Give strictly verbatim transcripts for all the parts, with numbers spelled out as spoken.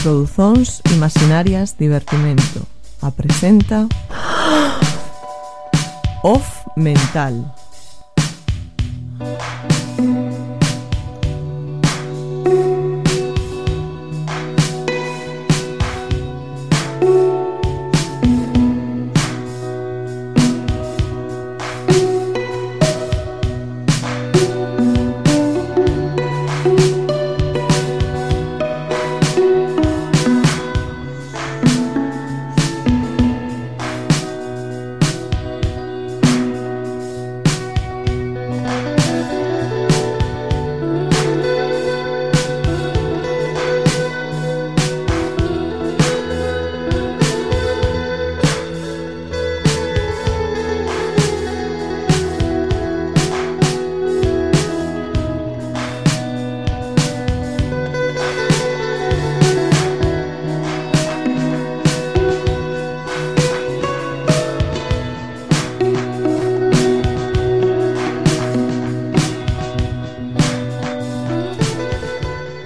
Produzóns Imaginarias Divertimento apresenta Off Mental.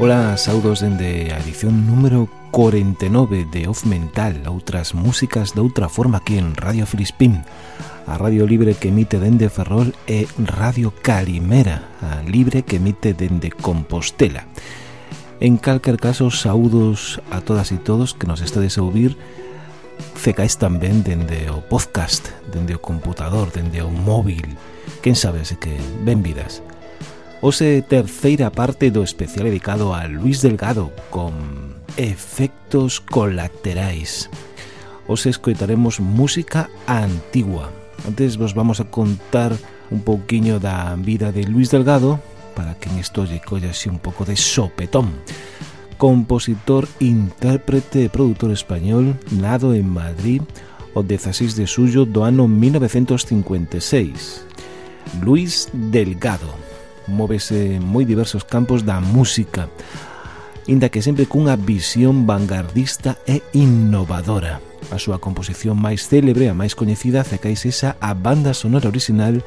Ola, saudos dende a edición número cuarenta e nove de Off Mental, outras músicas de outra forma aquí en Radio Filispín, a radio libre que emite dende Ferrol e Radio Calimera, a libre que emite dende Compostela. En calquer caso, saudos a todas e todos que nos estades a ouvir, cecais tamén dende o podcast, dende o computador, dende o móvil, quen sabe, así que ben vidas. Hoxe terceira parte do especial dedicado a Luis Delgado con efectos colaterais. Hoxe escoitaremos música antigua. Antes vos vamos a contar un pouquiño da vida de Luis Delgado para que en isto lle colla así un pouco de sopetón. Compositor, intérprete e produtor español, nado en Madrid o dieciséis de xullo do ano mil novecientos cincuenta e seis. Luis Delgado móvese en moi diversos campos da música, inda que sempre cunha visión vanguardista e innovadora. A súa composición máis célebre, a máis coñecida, cecais esa a banda sonora original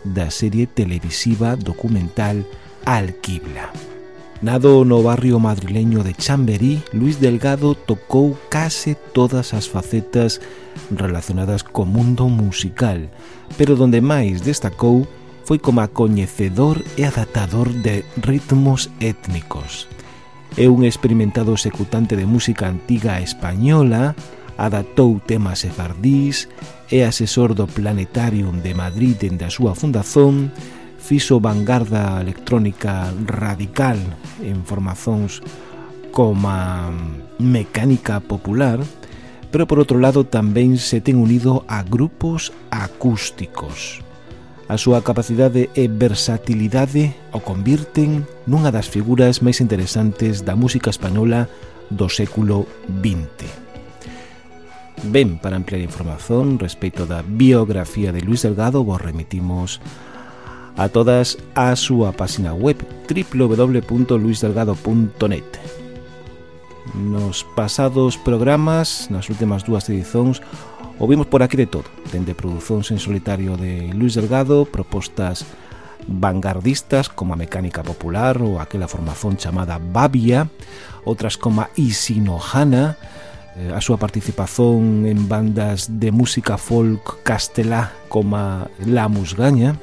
da serie televisiva documental Alquibla. Nado no barrio madrileño de Chamberí, Luis Delgado tocou case todas as facetas relacionadas co mundo musical, pero donde máis destacou foi como coñecedor e adaptador de ritmos étnicos. É un experimentado executante de música antiga española, adaptou temas sefardís, é asesor do Planetarium de Madrid dende a súa fundación, fixo vanguarda electrónica radical en formazóns como mecánica popular, pero por outro lado tamén se ten unido a grupos acústicos. A súa capacidade e versatilidade o convirten nunha das figuras máis interesantes da música española do século vinte. Ben, para ampliar información respecto da biografía de Luis Delgado, vos remitimos a todas a súa página web doble u doble u doble u punto luis delgado punto net. Nos pasados programas, nas últimas dúas edicións, ouvimos por aquí de todo, dende producións en solitario de Luis Delgado, propostas vanguardistas como a mecánica popular ou aquela formación chamada Babia, outras como a Isinojana, a súa participación en bandas de música folk castelá como a La Musgaña,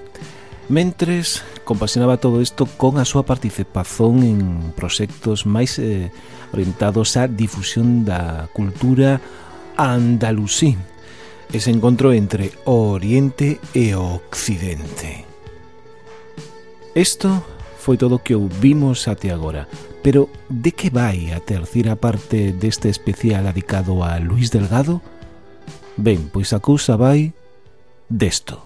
mentres compasionaba todo isto con a súa participación en proxectos máis eh, orientados á difusión da cultura andalusí, ese encontro entre o Oriente e o Occidente. Isto foi todo o que ouvimos até agora, pero de que vai a terceira parte deste especial dedicado a Luis Delgado? Ben, pois a cousa vai desto.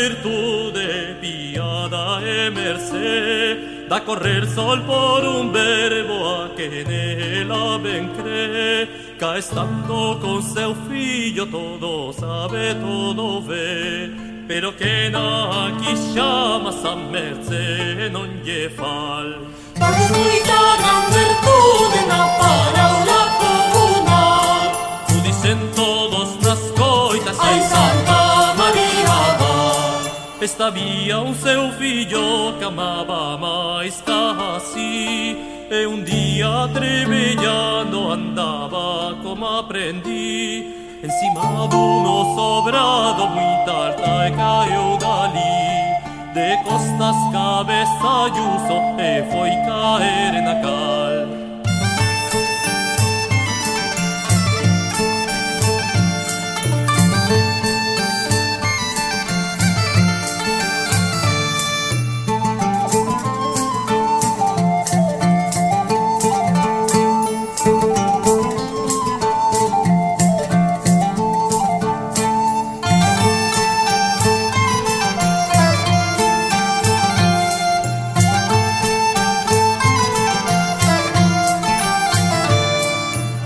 virtude, piada e mercé, da correr sol por un verbo a que nela ben cree, ca estando con seu fillo todo sabe, todo ve, pero que na aquí chamas a mercé non lle fal. Porque moita gran virtude na paraula comunal, o dicen todos nas coitas, ai Santa María Mar. Esta vía un seu fillo que amaba máis ca así, e un día trebellando andaba como aprendí, encima duno sobrado muita alta e caeu dali, de costas cabeza yuso e foi caer na cal.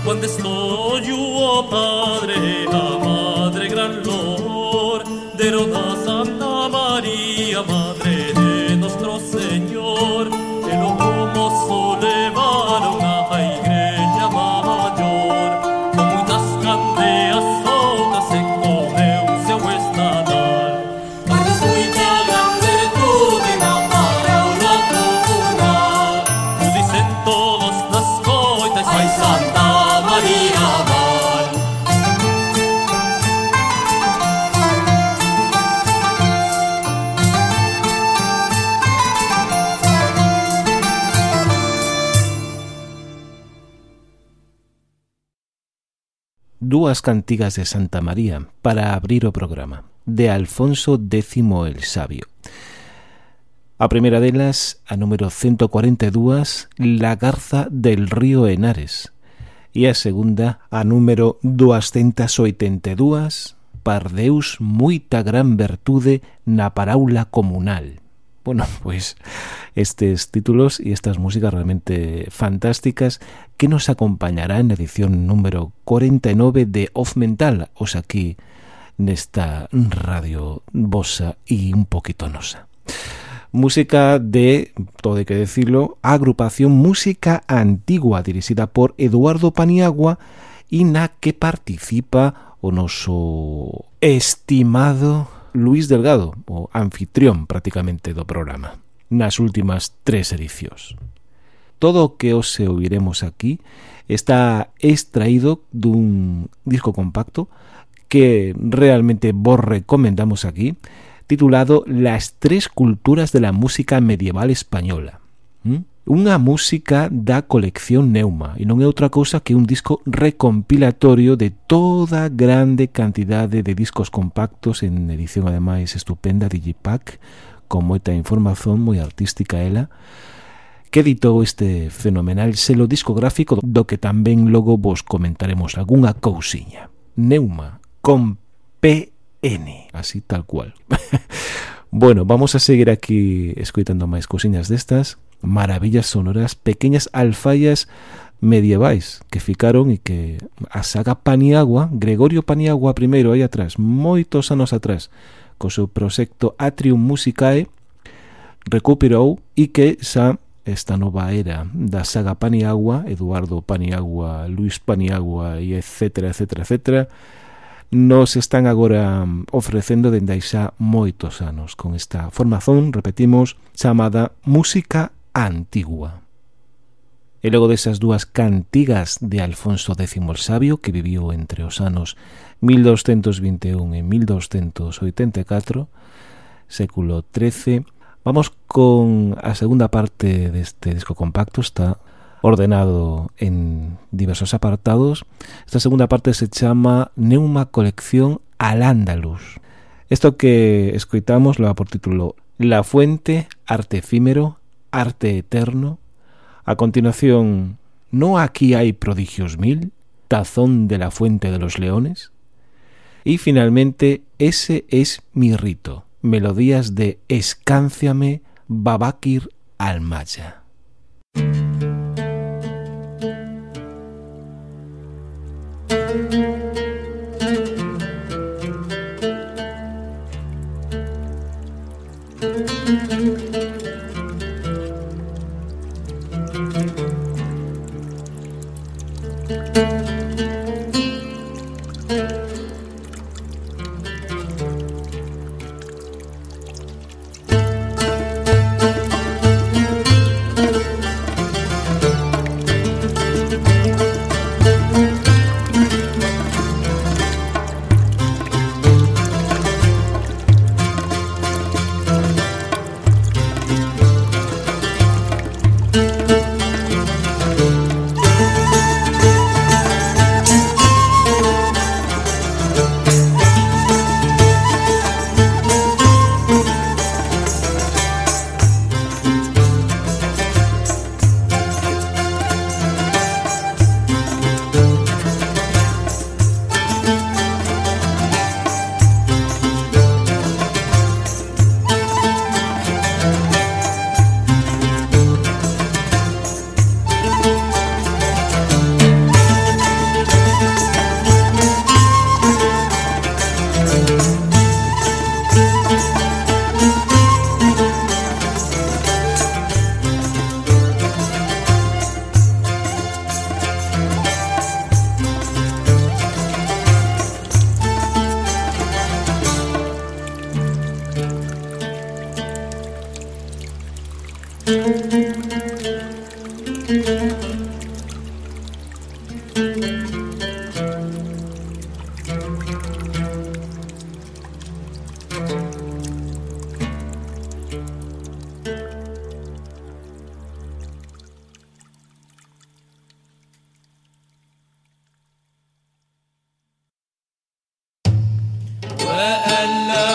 Cuando estoy yo, Padre, a Madre gran lor, de Roda Santa María, Madre de nuestro Señor, el homoso levaron a la igreja mayor, con muchas candeas soltas en con seu estadal. Porque es mucha gran virtude na paraula comunal, nos dicen todos nas coitas, ai Santa María Mar. Dúas cantigas de Santa María para abrir o programa, de Alfonso X el Sabio. A primeira delas, a número ciento cuarenta e dúas, La Garza del Río Henares, e a segunda, a número doscientos oitenta e dúas, Par Deus moita gran virtude na paraula comunal. Bueno, pues estes títulos y estas músicas realmente fantásticas que nos acompañará en la edición número cuarenta e nove de Off Mental, os aquí nesta radio vosa e un poquito nosa. Música de, todo hay que decirlo, agrupación Música Antigua, dirigida por Eduardo Paniagua e na que participa o noso estimado Luis Delgado, o anfitrión prácticamente do programa, nas últimas tres edicións. Todo o que os ouviremos aquí está extraído dun disco compacto que realmente vos recomendamos aquí, titulado Las tres culturas de la música medieval española. ¿Mm? Unha música da colección Neuma, e non é outra cousa que un disco recompilatorio de toda grande cantidade de discos compactos en edición ademais estupenda Digipack, con moita información moi artística ela, que editou este fenomenal selo discográfico do que tamén logo vos comentaremos algunha cousiña. Neuma, con P N, así tal cual. Bueno, vamos a seguir aquí escoitando máis cousiñas destas, maravillas sonoras, pequeñas alfaias medievais que ficaron e que a saga Paniagua, Gregorio Paniagua primeiro aí atrás, moitos anos atrás, co seu proxecto Atrium Musicae, recuperou e que xa esta nova era da saga Paniagua, Eduardo Paniagua, Luis Paniagua e etcétera, etcétera, etcétera, nos están agora ofrecendo dende aí xa moitos anos con esta formación, repetimos, chamada Música Antigua. E logo desas dúas cantigas de Alfonso X el Sabio, que viviu entre os anos mil doscientos vinte e un e mil doscientos oitenta e catro, século trece, vamos con a segunda parte deste disco compacto. Está ordenado en diversos apartados. Esta segunda parte se chama Neuma Colección Al-Ándalus. Esto que escoitamos lo da por título La Fuente, Arte Efímero, Arte Eterno. A continuación, No aquí hay prodigios mil, Tazón de la Fuente de los Leones. Y finalmente, Ese es mi rito, melodías de Escánciame Babakir Almaya. وألا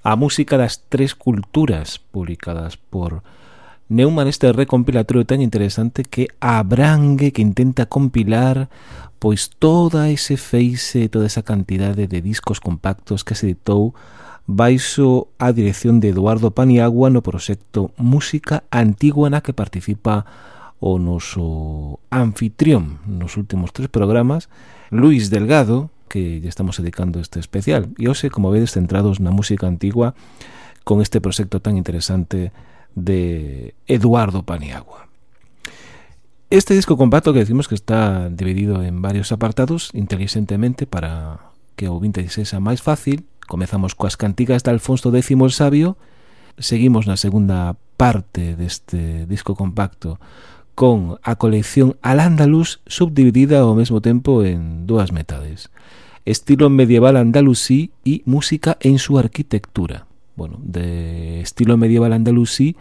A música das tres culturas, publicadas por Neumann, este recompilatorio tan interesante que abrangue, que intenta compilar pois toda ese feixe, toda esa cantidade de discos compactos que se editou baixo a dirección de Eduardo Paniagua no proxecto Música Antigua, na que participa o noso anfitrión nos últimos tres programas, Luis Delgado, que ya estamos dedicando este especial. E hoxe, como vedes, centrados na música antigua con este proxecto tan interesante de Eduardo Paniagua. Este disco compacto que decimos que está dividido en varios apartados inteligentemente para que o ouvinte sexa máis fácil. Comezamos coas cantigas de Alfonso X el Sabio, seguimos na segunda parte deste disco compacto con a colección Al-Ándalus subdividida ao mesmo tempo en dúas metades: estilo medieval andalusí y música en su arquitectura. Bueno, de estilo medieval andalusí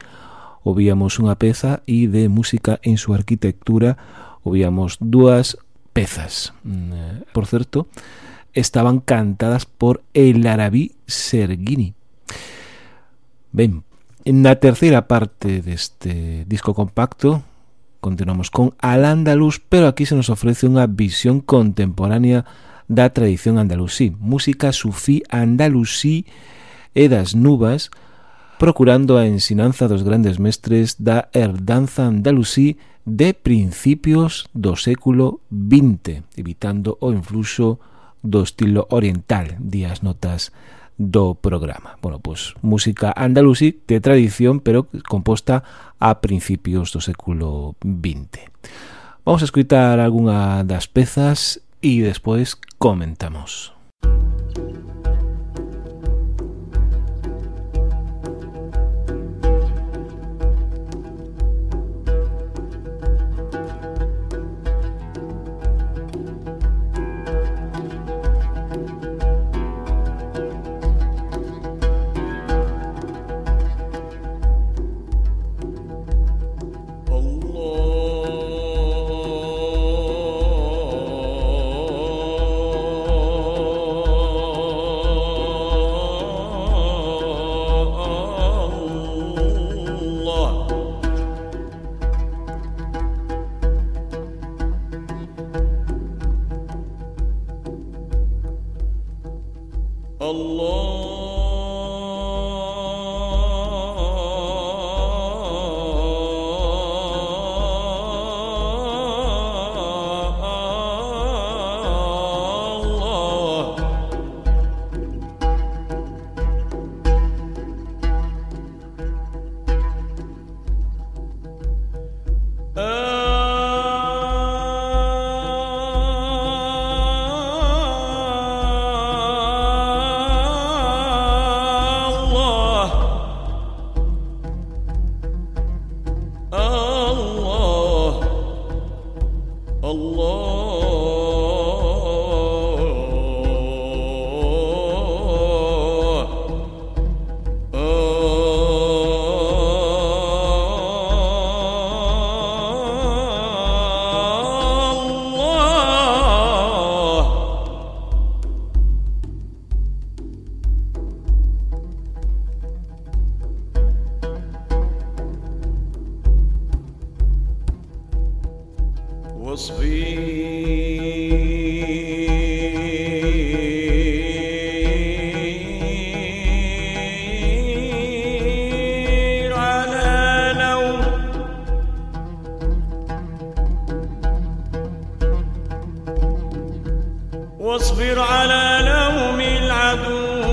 obíamos unha peza e de música en su arquitectura obíamos dúas pezas. Por certo, estaban cantadas por el Arabí Serguini. Ben, na terceira parte deste disco compacto continuamos con Al-Ándalus, pero aquí se nos ofrece unha visión contemporánea da tradición andalusí, música sufí andalusí e das nubas, procurando a ensinanza dos grandes mestres da herdanza andalusí de principios do século vinte, evitando o influxo do estilo oriental, di as notas do programa. Bueno, pois música andalusí de tradición, pero composta a principios do século vinte. Vamos a escutar algunha das pezas y después comentamos. واصبر على لوم العدو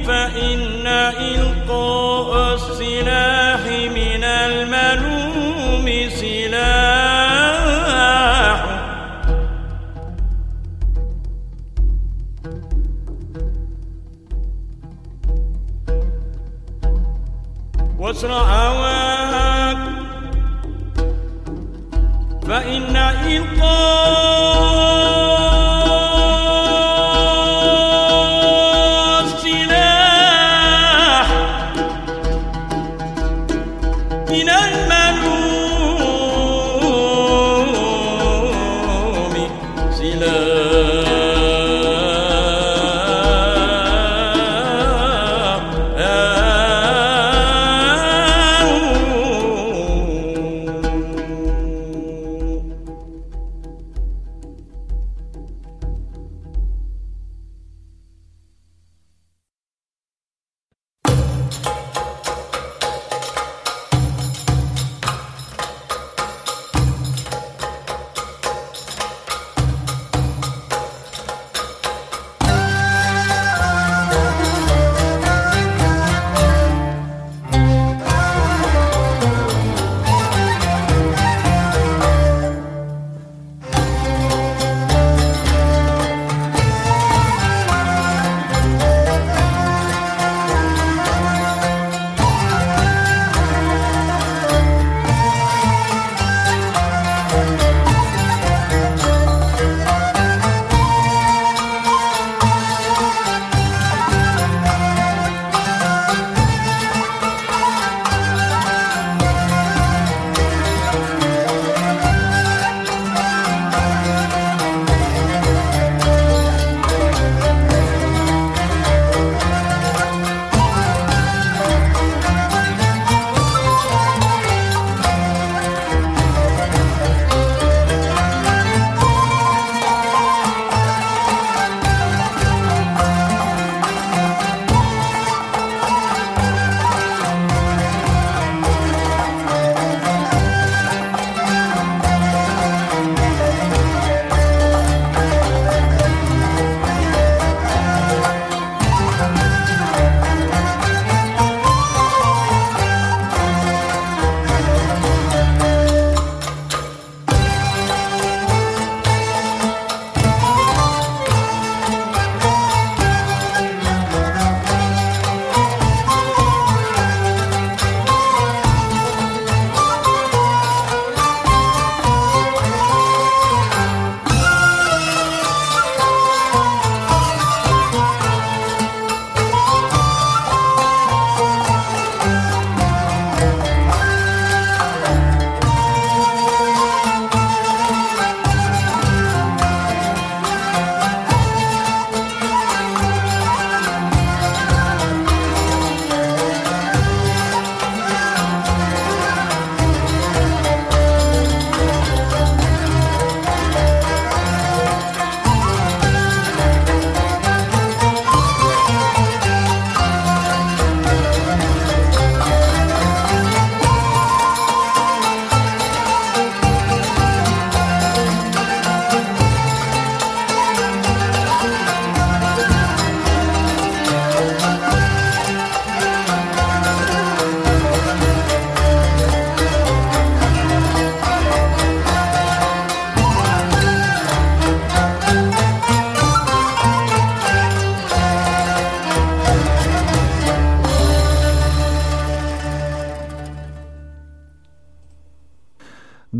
فإن إلقاء السلاح من الملوم سلاح واسرع هواك فإن إلقاء السلاح من المنوم سلاح.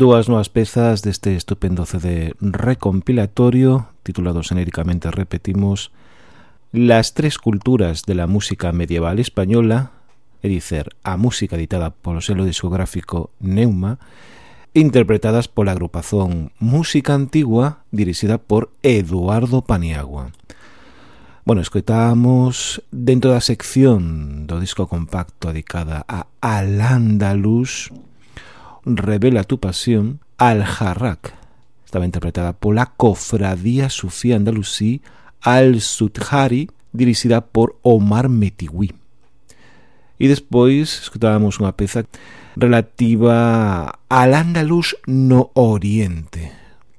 Dúas novas pezas deste estupendo C D recompilatorio titulado xenéricamente, repetimos, Las tres culturas de la música medieval española, é dicer, a música editada polo selo discográfico Neuma, interpretadas pola agrupación Música Antigua dirixida por Eduardo Paniagua. Bueno, escoitamos dentro da sección do disco compacto dedicada a Al-Ándalus, Revela tu pasión, Al-Jarrak. Estaba interpretada pola Cofradía Sufí Andalusí Al-Sudjari, dirixida por Omar Metiwi. E despois escutábamos unha peza relativa al Ándalus no Oriente.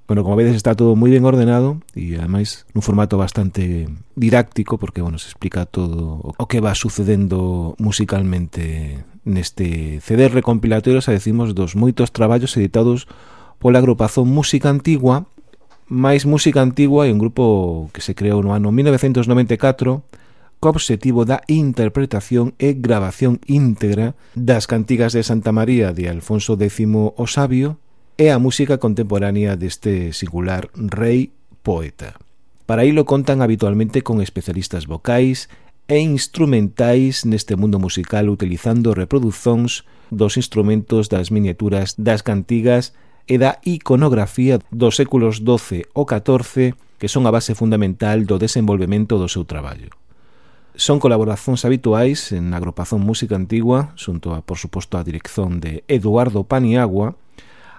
Bueno, como vedes está todo moi ben ordenado e ademais nun formato bastante didáctico porque, bueno, se explica todo o que va sucedendo musicalmente neste C D recompilatorio, xa decimos, dos moitos traballos editados pola agrupación Música Antigua. Mais Música Antigua é un grupo que se creou no ano mil novecentos noventa e catro co obxectivo da interpretación e grabación íntegra das cantigas de Santa María de Alfonso décimo o Sabio e a música contemporánea deste singular rei poeta. Para ilo contan habitualmente con especialistas vocais e instrumentais neste mundo musical utilizando reproduzóns dos instrumentos das miniaturas das cantigas e da iconografía dos séculos doce ou catorce que son a base fundamental do desenvolvemento do seu traballo. Son colaboracións habituais na agrupación Música Antigua, xunto a, por suposto, a dirección de Eduardo Paniagua,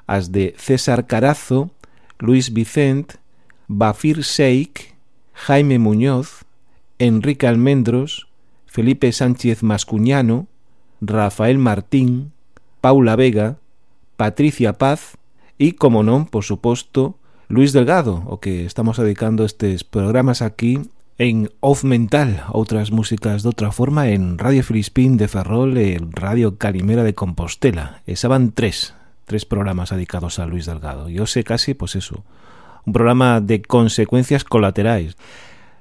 as de César Carazo, Luis Vicent, Bafir Sheik, Jaime Muñoz, Enrique Almendros, Felipe Sánchez Mascuñano, Rafael Martín, Paula Vega, Patricia Paz e, como non, por suposto, Luis Delgado, o que estamos dedicando estes programas aquí en Off Mental, outras músicas de outra forma en Radio Filispín de Ferrol e Radio Calimera de Compostela. E xa van tres, tres programas dedicados a Luis Delgado. E hoxe casi, pois eso, un programa de consecuencias colaterais.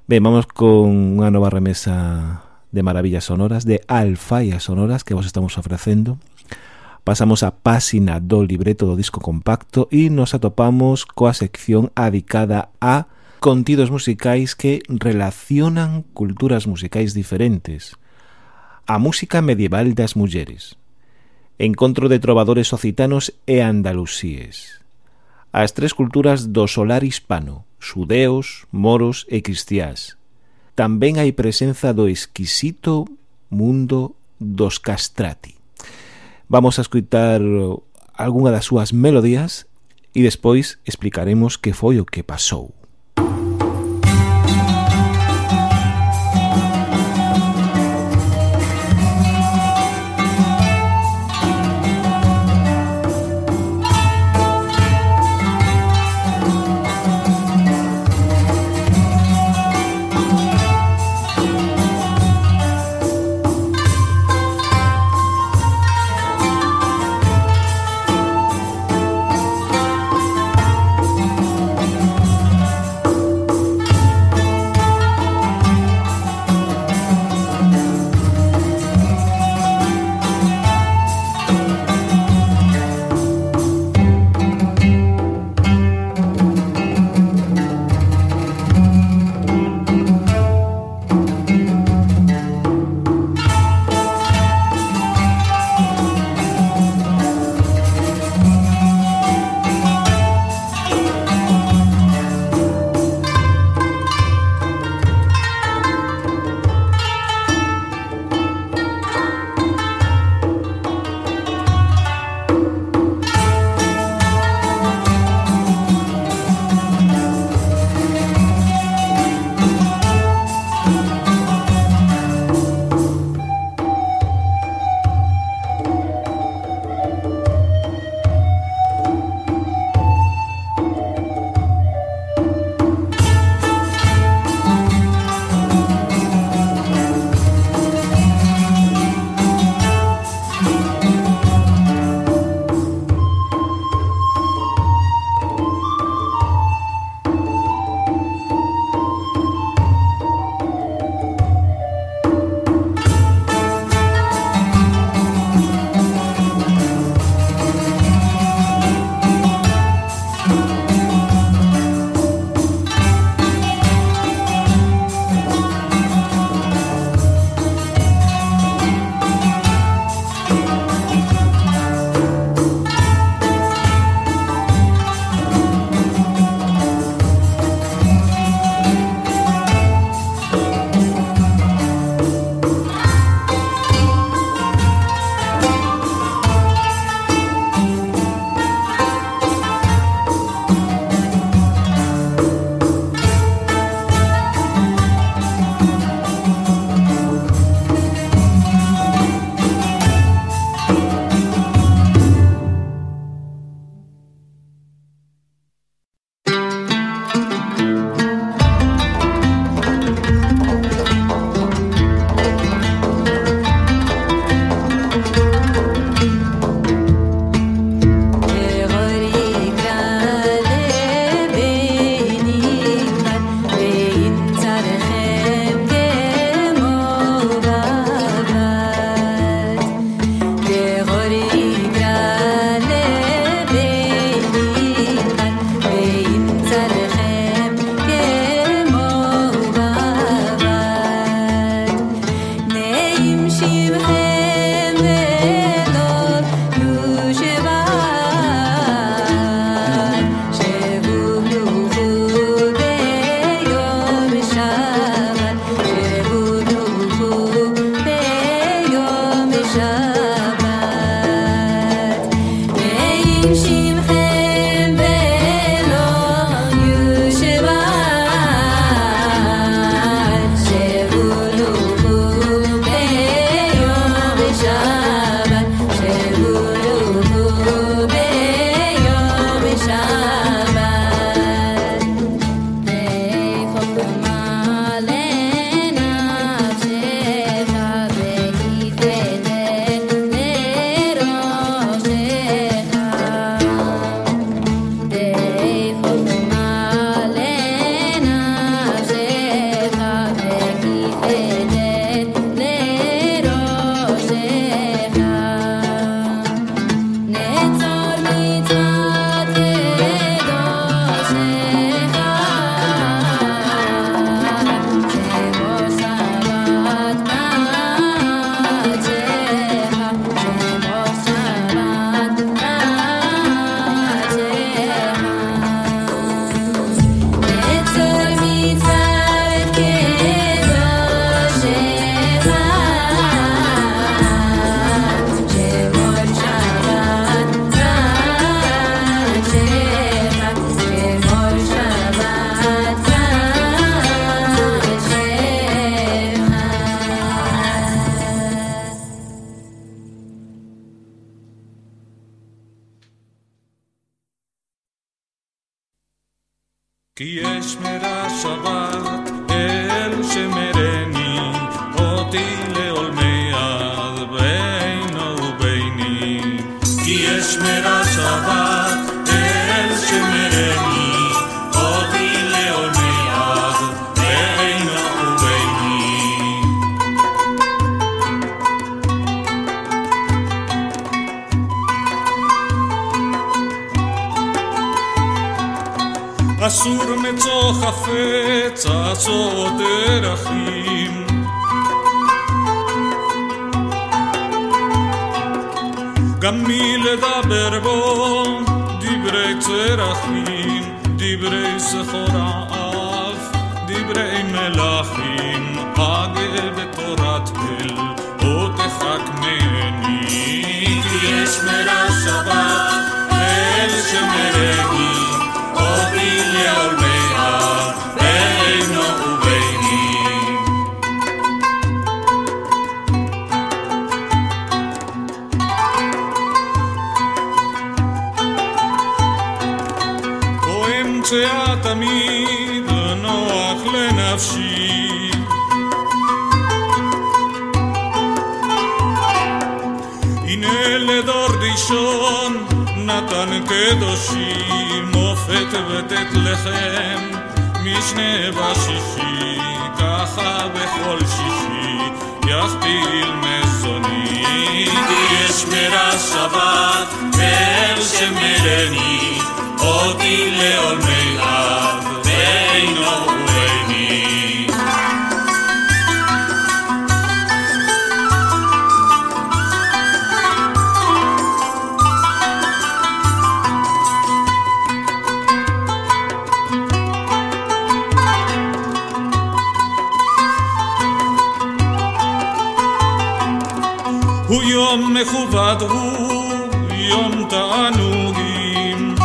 Ben, vamos con unha nova remesa de maravillas sonoras, de alfaias sonoras que vos estamos ofrecendo. Pasamos a páxina do libreto do disco compacto e nos atopamos coa sección adicada a contidos musicais que relacionan culturas musicais diferentes. A música medieval das mulleres. Encontro de trovadores occitanos e andalusíes. As tres culturas do solar hispano, xudeos, moros e cristiás. Tamén hai presenza do exquisito mundo dos castrati. Vamos a escutar algunha das súas melodías e despois explicaremos que foi o que pasou. כי יש מרע שבת אל שמרני אותי לעולמי עד בינו וביני כי יש מרע שבת אל שמרני אותי לעולמי עד בינו וביני אסור מצוא חפץ עצות דרכים גם מי לדבר בו דברי צרכים דברי סחור האף דברי מלאכים אגה בתורת אל או תחכמני כי יש מרע שבת אל שמרני אותי לעולמי עד בינו וביני כה אמצאה תמיד נוח לנפשי הנה לדור ראשון נתן קדושי מופת ותת לכם משנה בשישי ככה בכל שישי יכפיל מזוני כי יש מרע שבת אל שמרני אותי לעולמי עד בינו וביני הוא יום מכובד הוא יום תענוגים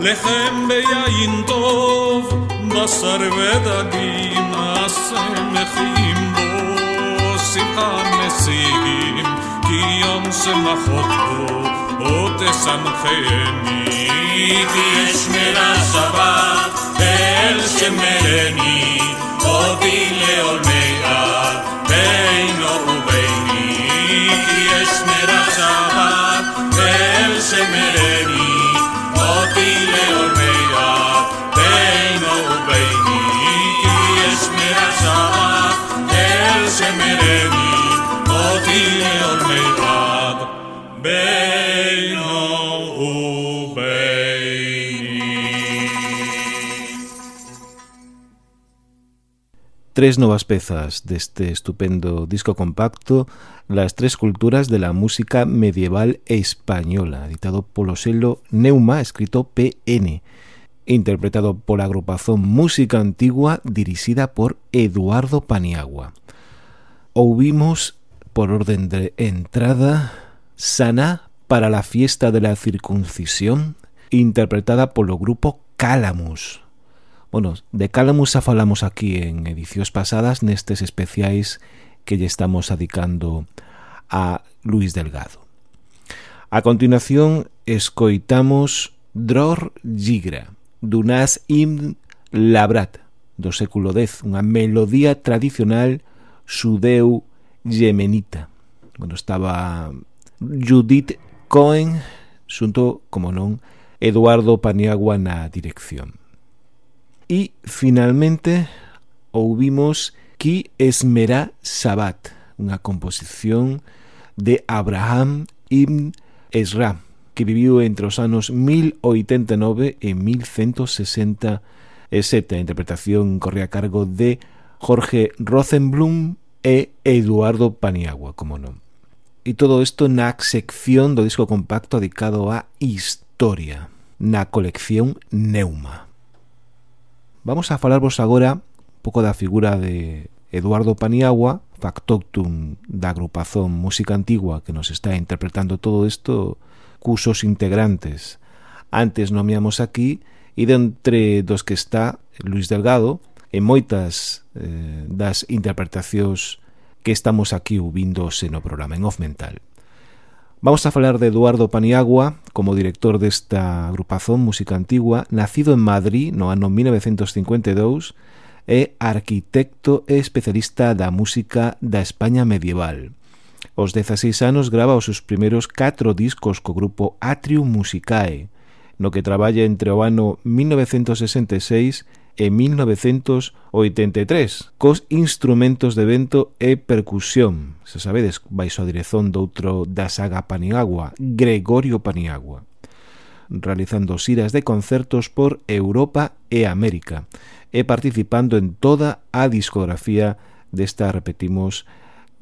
לחם ביין טוב בשר ודגים השמחים בו שמחה משיגים כי יום שמחות בו או תשמחני כי יש מרע שבת אל שמרני אותי לעולמי עד בינו וביני כי יש מרע שבת אל שמרני אותי לעולמי עד בינו וביני כי יש מרע שבת אל שמרני אותי לעולמי עד בינו וביני. Tres novas pezas deste estupendo disco compacto, Las tres culturas de la música medieval española, editado polo selo Neuma, escrito P N, interpretado pola agrupación Música Antigua dirixida por Eduardo Paniagua. Ouvimos, por orden de entrada, Saná para la fiesta de la circuncisión, interpretada polo grupo Calamus. Bueno, de Calamus xa falamos aquí en edicións pasadas nestes especiais que lle estamos adicando a Luis Delgado. A continuación escoitamos Dror Gigra, d'Unas Ibn Labrat, do século dez, unha melodía tradicional xudeu yemenita. Bueno, estaba Judith Cohen xunto, como non, Eduardo Paniagua na dirección. Y finalmente ouvimos Ki Esmerá Sabat, unha composición de Abraham Ibn Ezra, que viviu entre os anos mil oitenta e nove e mil ciento sesenta e sete. A interpretación corría a cargo de Jorge Rosenblum e Eduardo Paniagua, como non. E todo isto na sección do disco compacto dedicado a historia, na colección Neuma. Vamos a falarvos agora un pouco da figura de Eduardo Paniagua, factotum da agrupación Música Antigua que nos está interpretando todo isto, cusos integrantes. Antes nomeamos aquí, e dentre dos que está Luis Delgado, en moitas eh, das interpretacións que estamos aquí ouvindo no programa en Off Mental. Vamos a falar de Eduardo Paniagua como director desta agrupación Música Antigua, nacido en Madrid no ano mil novecientos cincuenta e dous, é arquitecto e especialista da música da España medieval. Aos dezaseis anos grava os seus primeiros catro discos co grupo Atrium Musicae, no que traballa entre o ano mil novecientos sesenta e seis e mil novecientos oitenta e tres, cos instrumentos de vento e percusión, se sabedes, baixo a dirección doutro da saga Paniagua, Gregorio Paniagua, realizando xiras de concertos por Europa e América, e participando en toda a discografía desta, repetimos,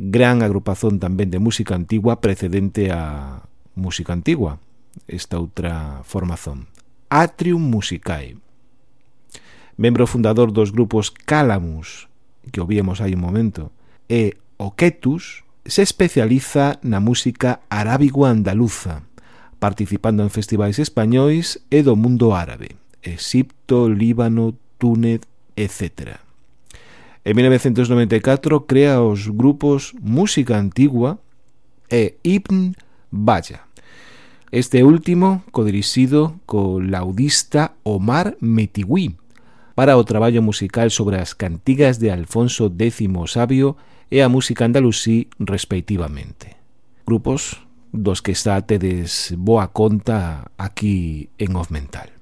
gran agrupación tamén de música antigua precedente a Música Antigua, esta outra formación, Atrium Musicae. Membro fundador dos grupos Calamus, que o víamos hai un momento, e Oquetus, se especializa na música arábigo-andaluza, participando en festivais españois e do mundo árabe, Egipto, Líbano, Túnez, etcétera. En mil novecientos noventa e catro crea os grupos Música Antigua e Ibn Baya. Este último codirixido co laudista Omar Metigui, para o traballo musical sobre as cantigas de Alfonso décimo Sabio e a música andalusí respectivamente. Grupos dos que xa tedes boa conta aquí en Off Mental.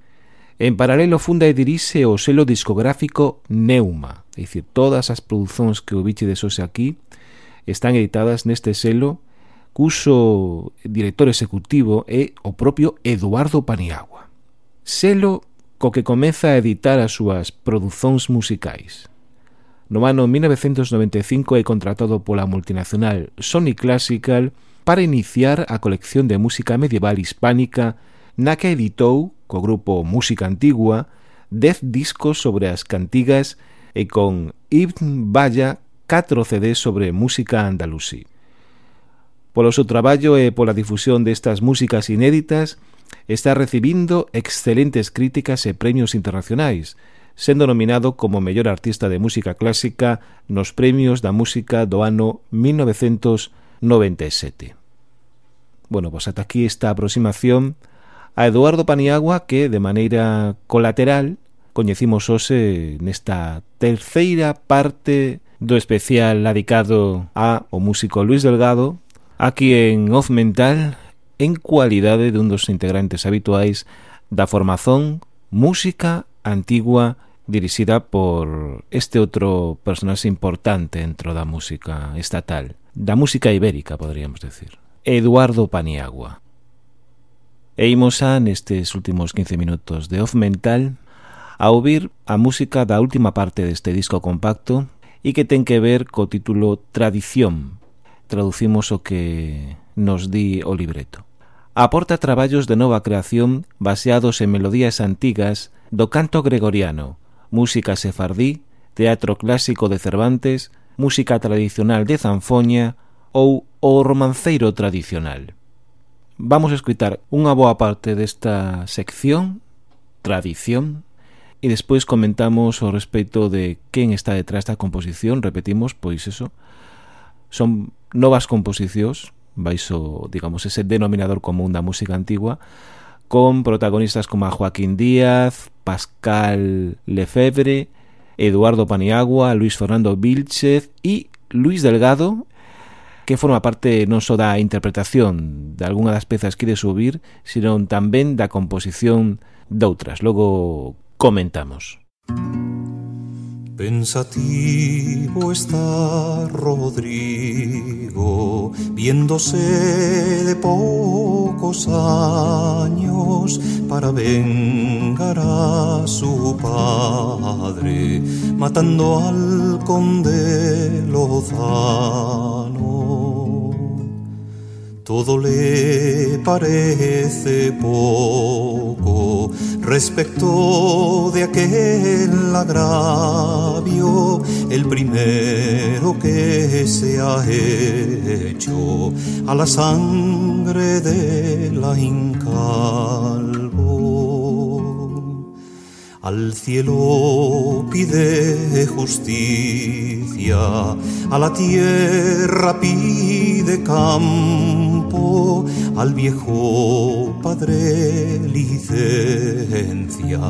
En paralelo funda e dirixe o selo discográfico Neuma, é dicir, todas as producións que o bichedes hoxe aquí están editadas neste selo, cuso director executivo é o propio Eduardo Paniagua. Selo co que comeza a editar as súas producións musicais. No ano mil novecientos noventa e cinco é contratado pola multinacional Sony Classical para iniciar a colección de música medieval hispánica, na que editou, co grupo Música Antigua, dez discos sobre as cantigas e con Ibn Baya catro C Ds sobre música andalusí. Polo seu traballo e pola difusión destas músicas inéditas, está recibindo excelentes críticas e premios internacionais, sendo nominado como mellor artista de música clásica nos premios da música do ano mil novecientos noventa e sete. Bueno, pois ata aquí esta aproximación a Eduardo Paniagua, que de maneira colateral coñecimos hoxe nesta terceira parte do especial dedicado a o músico Luis Delgado, aquí en Off Mental, en cualidade dun dos integrantes habituais da formación Música Antigua, dirixida por este outro personaxe importante dentro da música estatal, da música ibérica, podríamos decir, Eduardo Paniagua. E imos a, nestes últimos quince minutos de Off Mental, a ouvir a música da última parte deste disco compacto e que ten que ver co título Tradición. Traducimos o que nos di o libreto. Aporta traballos de nova creación baseados en melodías antigas do canto gregoriano, música sefardí, teatro clásico de Cervantes, música tradicional de Zanfoña ou o romanceiro tradicional. Vamos a escutar unha boa parte desta sección, Tradición, e despois comentamos ao respecto de quen está detrás da composición. Repetimos, pois eso, son novas composicións baixo, digamos, ese denominador común da música antigua, con protagonistas como a Joaquín Díaz, Pascal Lefebvre, Eduardo Paniagua, Luis Fernando Vilchez e Luis Delgado, que forma parte non só da interpretación de algunha das pezas que ide subir, sino tamén da composición doutras. Logo comentamos. Pensativo está Rodrigo, viéndose de pocos años para vengar a su padre, matando al conde Lozano. Todo le parece poco respecto de aquel agravio, el primero que se ha hecho a la sangre de la Incalvo. Al cielo pide justicia, a la tierra pide campo, campo, al viejo padre licencia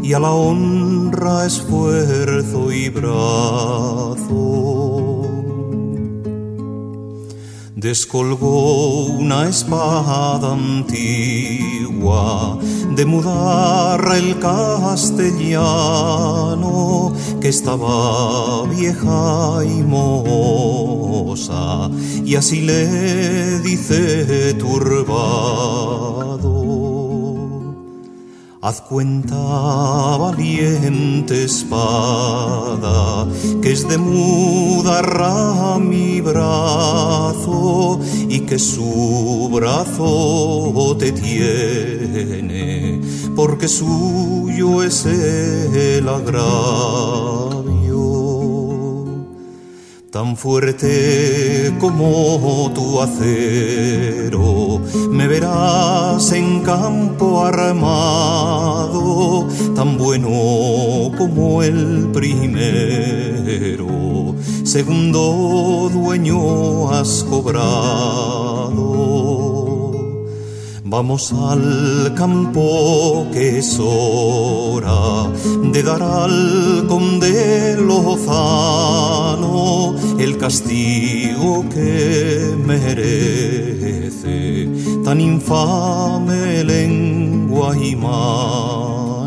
y a la honra esfuerzo y brazo. Descolgó una espada antigua de mudarra el castellano, que estaba vieja y mohosa, y así le dice turbado: haz cuenta, valiente espada, que es de mudarra mi brazo, y que su brazo te tiene, porque suyo es el agravio. Tan fuerte como tu acero, me verás en campo armado, tan bueno como el primero, segundo dueño has cobrado. Vamos al campo, que es hora de dar al conde Lozano el castigo que merece tan infame lengua y mano.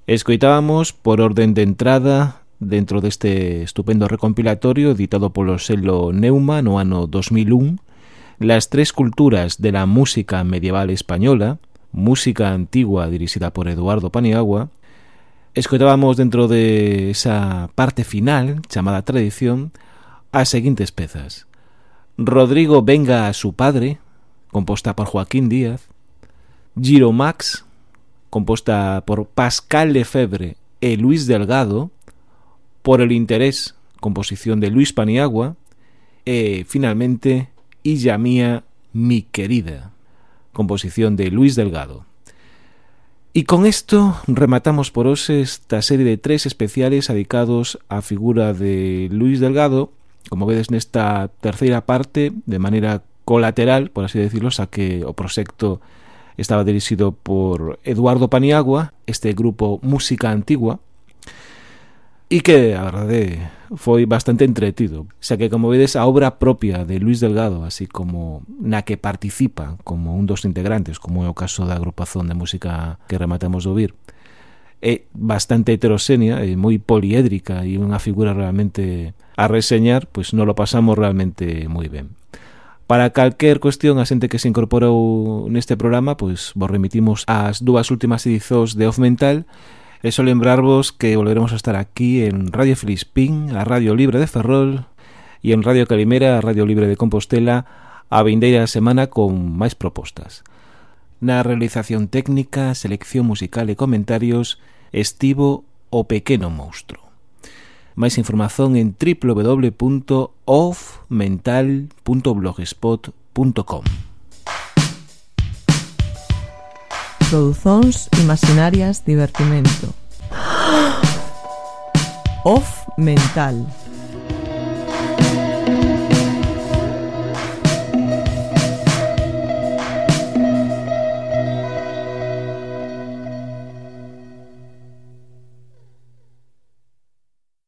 Escoitábamos por orden de entrada dentro deste estupendo recompilatorio editado polo selo Neuma no ano dos mil un Las tres culturas de la música medieval española, música antigua dirixida por Eduardo Paniagua. Escoitábamos dentro de esa parte final chamada tradición as seguintes pezas: Rodrigo venga a su padre, composta por Joaquín Díaz; Giromax, composta por Pascal Lefebvre e Luis Delgado; Por el interés, composición de Luis Paniagua; e finalmente Illa mía, mi querida, composición de Luis Delgado. E con esto rematamos por hoxe esta serie de tres especiales dedicados á figura de Luis Delgado, como vedes nesta terceira parte, de maneira colateral, por así decirlo, xa que o proxecto estaba dirixido por Eduardo Paniagua, este grupo Música Antigua, e que, a verdade, foi bastante entretido, xa que, como vedes, a obra propia de Luis Delgado, así como na que participa como un dos integrantes, como é o caso da agrupación de música que rematamos de ouvir, é bastante heteroxénea, é moi poliédrica e unha figura realmente a reseñar, pois non lo pasamos realmente moi ben. Para calquer cuestión, a xente que se incorporou neste programa, pois vos remitimos ás dúas últimas edicións de Off Mental. E só lembrarvos que volveremos a estar aquí en Radio Filispín, a Radio Libre de Ferrol, e en Radio Calimera, a Radio Libre de Compostela, a vindeira semana con máis propostas. Na realización técnica, selección musical e comentarios estivo o Pequeno Monstro. Máis información en w w w punto off mental punto blogspot punto com. Produzóns imaginarias divertimento. Off Mental.